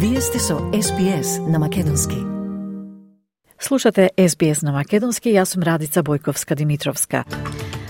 Вие сте со SBS на Македонски. Слушате SBS на Македонски, јас сум Радица Бојковска-Димитровска.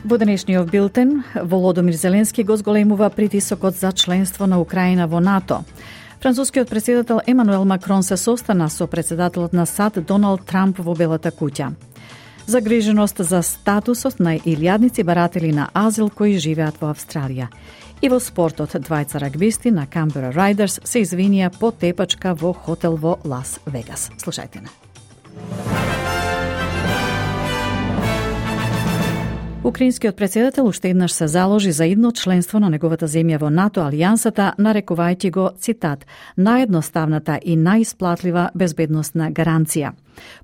Во денешниот билтен, Володомир Зеленски го зголемува притисокот за членство на Украина во НАТО. Францускиот претседател Емануел Макрон се состана со претседателот на САД Доналд Трамп во Белата куќа. Загриженост за статусот на илјадници баратели на азил кои живеат во Австралија. И во спортот, двајца рагбисти на Камбера Райдерс се извинија по тепачка во хотел во Лас Вегас. Слушајте на. Украинскиот претседател уште еднаш се заложи за идно членство на неговата земја во НАТО алијансата, нарекувајќи го, цитат, наједноставната и најисплатлива безбедносна гаранција.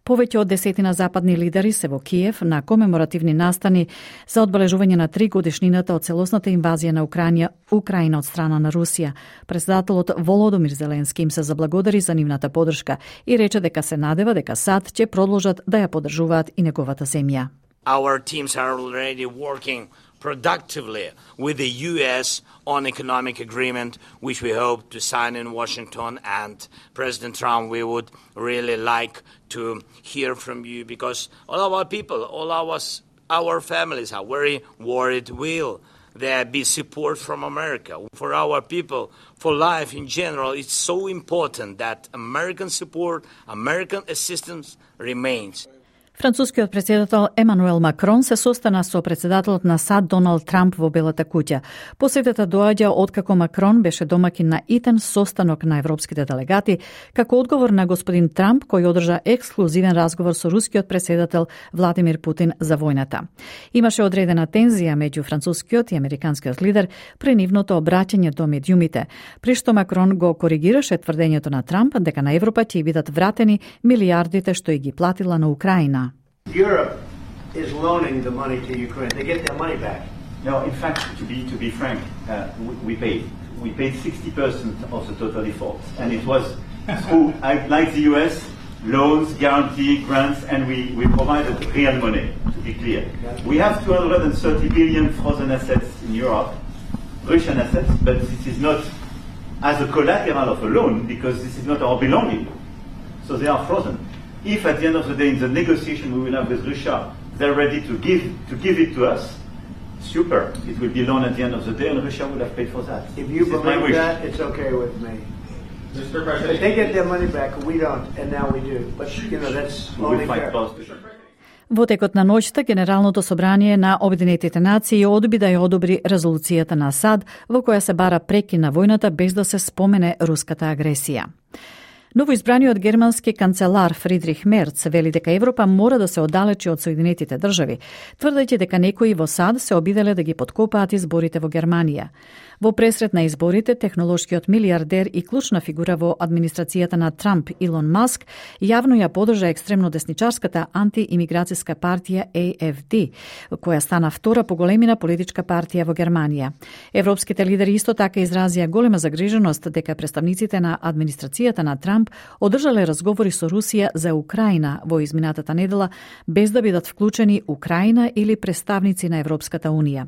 Повеќе од 10 западни лидери се во Киев на комеморативни настани за одбележување на 3 годишнината од целосната инвазија на Украина од страна на Русија. Претседателот Володомир Зеленски им се заблагодари за нивната поддршка и рече дека се надева дека САД ќе продолжат да ја поддржуваат и неговата земја. Our teams are already working productively with the U.S. on economic agreement, which we hope to sign in Washington. And President Trump, we would really like to hear from you because all our people, all our families are very worried. Will there be support from America? For our people, for life in general, it's so important that American support, American assistance remains. Францускиот претседател Емануел Макрон се состана со претседателот на САД Доналд Трамп во Белата куќа. Посетата доаѓа откако Макрон беше домакин на итен состанок на европските делегати, како одговор на господин Трамп кој одржа ексклузивен разговор со рускиот претседател Владимир Путин за војната. Имаше одредена тензија меѓу францускиот и американскиот лидер при нивното обраќање до медиумите, при што Макрон го коригираше тврдењето на Трамп дека на Европа ќе бидат вратени милијардите што и ги платила на Украина. Europe is loaning the money to Ukraine. They get their money back. No, in fact, to be frank, we paid 60% of the total effort, and it was through, like the US, loans, guarantee, grants, and we provided real money. To be clear, we have 230 billion frozen assets in Europe, Russian assets, but this is not as a collateral of a loan because this is not our belonging, so they are frozen. If at the end of the day in the negotiation we will have with Russia, they're ready to give it to us, super. It will be loan at the end of the day and Russia will have paid for that. If you believe that, it's okay with me. But they get their money back, we don't, and now we do. But, you know, that's only fair. Во текот на ноќта, Генералното собрание на Обединетите нации одби да ја одобри резолуцијата на САД во која се бара прекин на војната без да се спомене руската агресија. Новоизбраниот германски канцелар Фридрих Мерц вели дека Европа мора да се оддалечи од Соединетите држави, тврдејќи дека некои во САД се обиделе да ги поткопаат изборите во Германија. Во пресрет на изборите, технолошкиот милијардер и клучна фигура во администрацијата на Трамп Илон Маск јавно ја подржа екстремно десничарската антиимиграцијска партија AFD, која стана втора по големина политичка партија во Германија. Европските лидери исто така изразија голема загриженост дека представниците на администрацијата на Трамп одржале разговори со Русија за Украина во изминатата недела без да бидат вклучени Украина или представници на Европската Унија.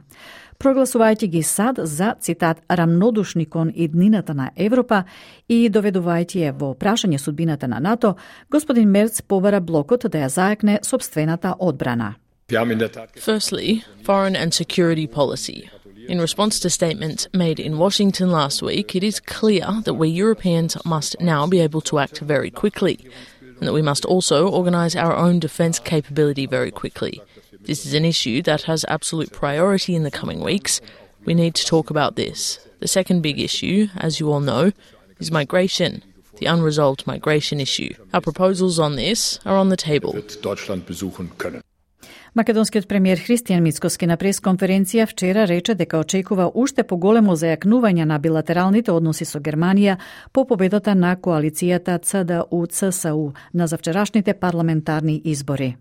Прогласувајќи ги САД за, цитат, рамнодушни кон иднината на Европа и доведувајќи ја во прашање судбината на НАТО, господин Мерц побара блокот да ја зајакне собствената одбрана. Firstly, foreign and security policy. In response to statements made in Washington last week, it is clear that we Europeans must now be able to act very quickly, and that we must also organise our own defence capability very quickly. This is an issue that has absolute priority in the coming weeks. We need to talk about this. The second big issue, as you all know, is migration, the unresolved migration issue. Our proposals on this are on the table. Македонскиот премиер Христијан Мицкоски на пресконференција вчера рече дека очекува уште поголемо зајакнување на билатералните односи со Германија по победата на коалицијата ЦДУ-ЦСУ на завчерашните парламентарни избори.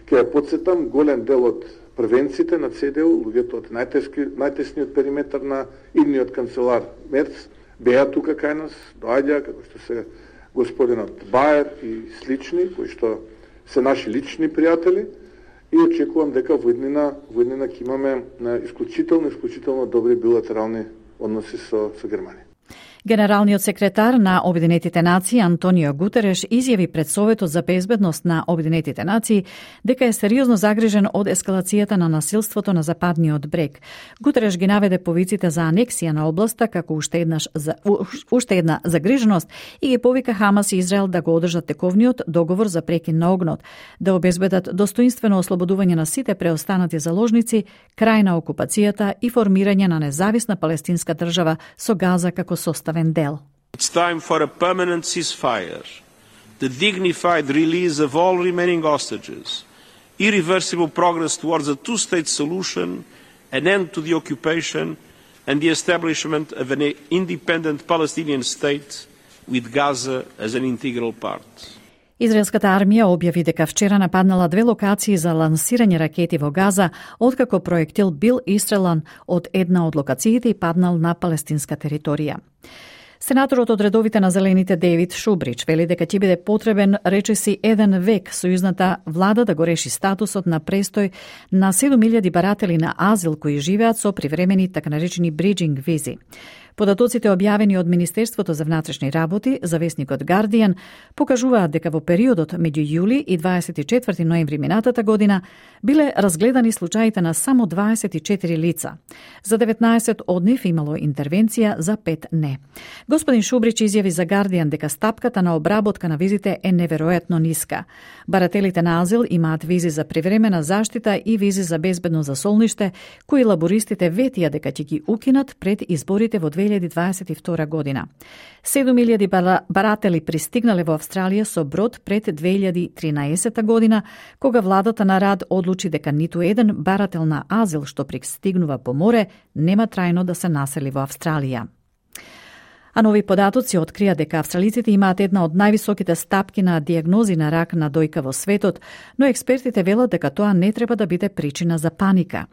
Ке ја подсетам, голем дел од првенците на ЦДУ, луѓето од најтесниот периметар на идниот канцелар Мерц, беа тука кај нас, доаѓа, како што се господинот Баер и слични, кои што се наши лични пријатели, и очекувам дека во иднина ќе имаме исклучително добри билатерални односи со Германија. Генералниот секретар на Обединетите нации Антонио Гутереш изјави пред Советот за безбедност на Обединетите нации дека е сериозно загрижен од ескалацијата на насилството на западниот брег. Гутереш ги наведе повиците за анексија на областа како уште една загриженост и ги повика Хамас и Израел да го одржат тековниот договор за прекин на огнот, да обезбедат достоинствено ослободување на сите преостанати заложници, крај на окупацијата и формирање на независна палестинска држава со Газа како составен дел. It's time for a permanent ceasefire, the dignified release of all remaining hostages, irreversible progress towards a two-state solution, an end to the occupation, and the establishment of an independent Palestinian state with Gaza as an integral part. Израелската армија објави дека вчера нападнала 2 локации за лансирање ракети во Газа, откако проектил бил истрелан од една од локациите и паднал на палестинска територија. Сенаторот од редовите на Зелените Дейвид Шубрич вели дека ќе биде потребен речиси 1 век сојузната влада да го реши статусот на престој на 7000 баратели на азил кои живеат со привремени така наречени бриджинг визи. Податоците објавени од Министерството за внатрешни работи за весникот Guardian покажуваат дека во периодот меѓу јули и 24 ноември минатата година биле разгледани случаите на само 24 лица. За 19 од нив имало интервенција, за 5 не. Господин Шубрич изјави за Guardian дека стапката на обработка на визите е неверојатно ниска. Барателите на азил имаат визи за привремена заштита и визи за безбедно засолниште, кои лабористите ветија дека ќе ги укинат пред изборите во 2022 година. 7000 баратели пристигнале во Австралија со брод пред 2013 година, кога владата на Рад одлучи дека ниту еден барател на азил што пристигнува по море нема трајно да се насели во Австралија. А нови податоци открија дека австралиците имаат една од највисоките стапки на дијагнози на рак на дојка во светот, но експертите велат дека тоа не треба да биде причина за паника.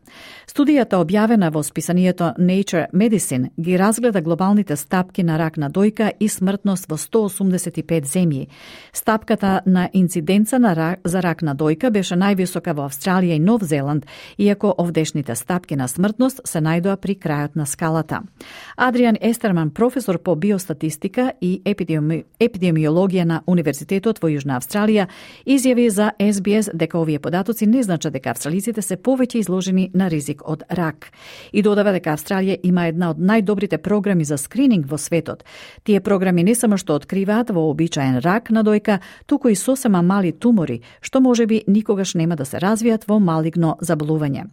Студијата објавена во списанието Nature Medicine ги разгледа глобалните стапки на рак на дојка и смртност во 185 земји. Стапката на инциденца за рак на дојка беше највисока во Австралија и Нов Зеланд, иако овдешните стапки на смртност се најдоа при крајот на скалата. Адриан Естерман, професор по биостатистика и епидемиологија на Универзитетот во Јужна Австралија, изјави за SBS дека овие податоци не значат дека австралиците се повеќе изложени на ризик од рак. И додава дека Австралија има една од најдобрите програми за скрининг во светот. Тие програми не само што откриваат вообичаен рак на дојка, туку и сосема мали тумори, што можеби никогаш нема да се развијат во малигно заболување.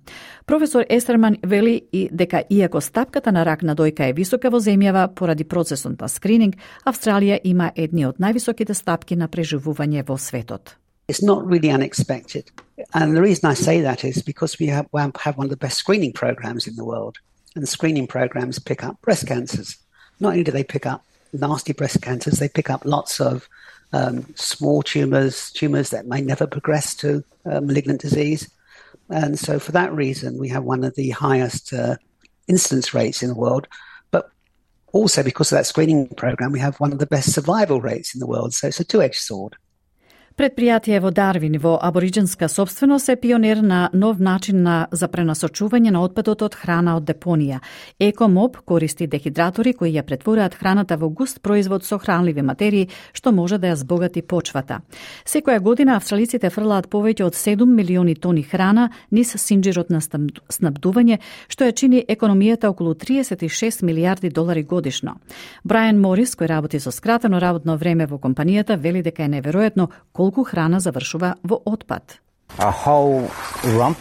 Професор Естерман вели и дека иако стапката на рак на дојка е висока во земјава поради процесот на скрининг, Австралија има едни од највисоките стапки на преживување во светот. It's not really unexpected. And the reason I say that is because we have one of the best screening programs in the world. And screening programs pick up breast cancers. Not only do they pick up nasty breast cancers, they pick up lots of small tumors that may never progress to malignant disease. And so for that reason, we have one of the highest incidence rates in the world. Also, because of that screening program, we have one of the best survival rates in the world. So it's a two-edged sword. Предпријатие во Дарвин во абориџинска собственост е пионер на нов начин за пренасочување на отпадот од храна од депонија. Екомоб користи дехидратори кои ја претворуваат храната во густ производ со хранливи материи, што може да ја збогати почвата. Секоја година австралиците фрлаат повеќе од 7 милиони тони храна низ синџирот на снабдување, што ја чини економијата околу 36 милијарди долари годишно. Брайан Морис, кој работи со скратено работно време во компанијата, вели дека е неверојатно колку храна завршува во отпад. A whole rump,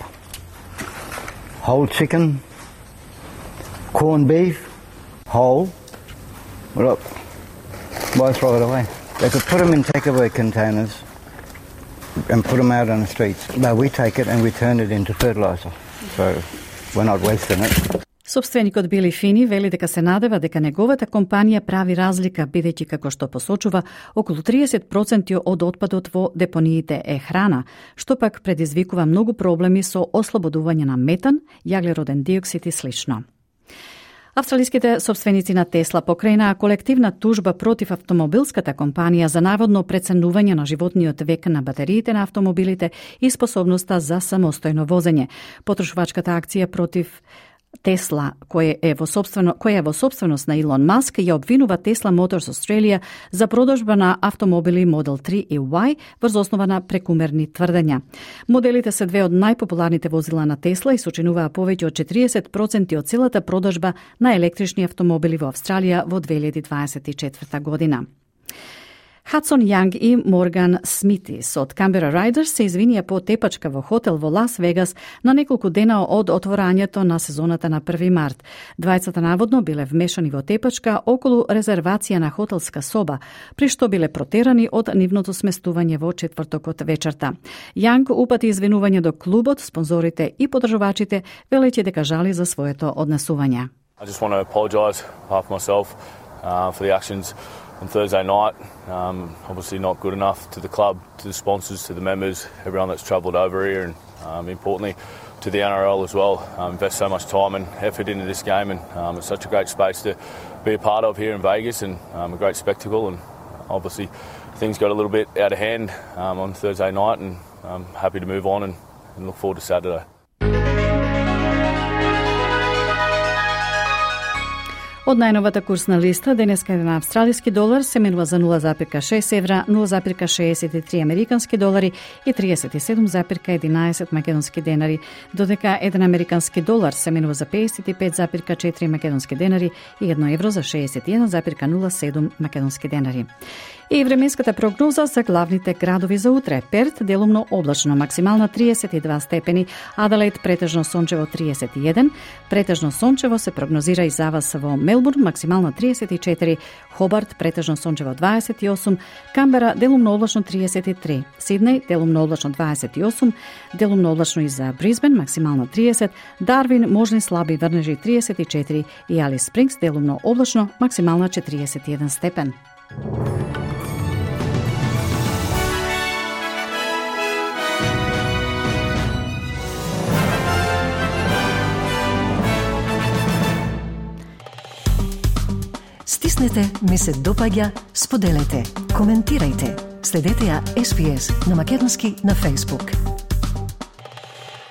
whole chicken, corned beef, whole. Look, why throw it away? They could put them in takeaway containers and put them out on the streets. But we take it and we turn it into fertilizer. So we're not wasting it. Собственикот Били Фини вели дека се надева дека неговата компанија прави разлика, бидејќи како што посочува, околу 30% од отпадот во депониите е храна, што пак предизвикува многу проблеми со ослободување на метан, јаглероден диоксид и слично. Австралиските собственици на Тесла покренаа колективна тужба против автомобилската компанија за наводно преценување на животниот век на батериите на автомобилите и способноста за самостојно возење. Потрошувачката акција против Тесла, која е во сопственост на Илон Маск, ја обвинува Tesla Motors Australia за продажба на автомобили Model 3 и Y врз основа на прекумерни тврдења. Моделите се две од најпопуларните возила на Тесла и сочинуваа повеќе од 40% од целата продажба на електрични автомобили во Австралија во 2024 година. Хадсон Јанг и Морган Смитис од Canberra Riders се извинија по тепачка во хотел во Лас Вегас на неколку дена од отворањето на сезоната на 1 март. Двајцата наводно биле вмешани во тепачка околу резервација на хотелска соба, при што биле протерани од нивното сместување во четвртокот вечерта. Јанг упати извинување до клубот, спонзорите и подржувачите, велејќи дека жали за своето однесување. I just want to apologise half myself for the actions on Thursday night. Obviously not good enough to the club, to the sponsors, to the members, everyone that's travelled over here, and importantly to the NRL as well. Invest so much time and effort into this game, and it's such a great space to be a part of here in Vegas, and a great spectacle. And obviously things got a little bit out of hand on Thursday night, and I'm happy to move on and look forward to Saturday. Од најновата курсна листа, денеска на австралиски долар се менува за 0,6 евра, 0,63 американски долари и 37,11 македонски денари, додека 1 американски долар се менува за 55,4 македонски денари и 1 евро за 61,07 македонски денари. И временската прогноза за главните градови за утре. Перт делумно облачно, максимална 32 степени, Аделаид претежно сончево 31, претежно сончево се прогнозира и за вас во Мелбурн, максимална 34, Хобарт претежно сончево 28, Камбера делумно облачно 33, Сиднеј делумно облачно 28, делумно облачно и за Брисбен, максимално 30, Дарвин можни слаби врнежи 34 и Алис Спрингс делумно облачно, максимална 41 степен. Стиснете, ми се допаѓа, споделете, коментирајте. Следете ја SPS на Македонски на Facebook.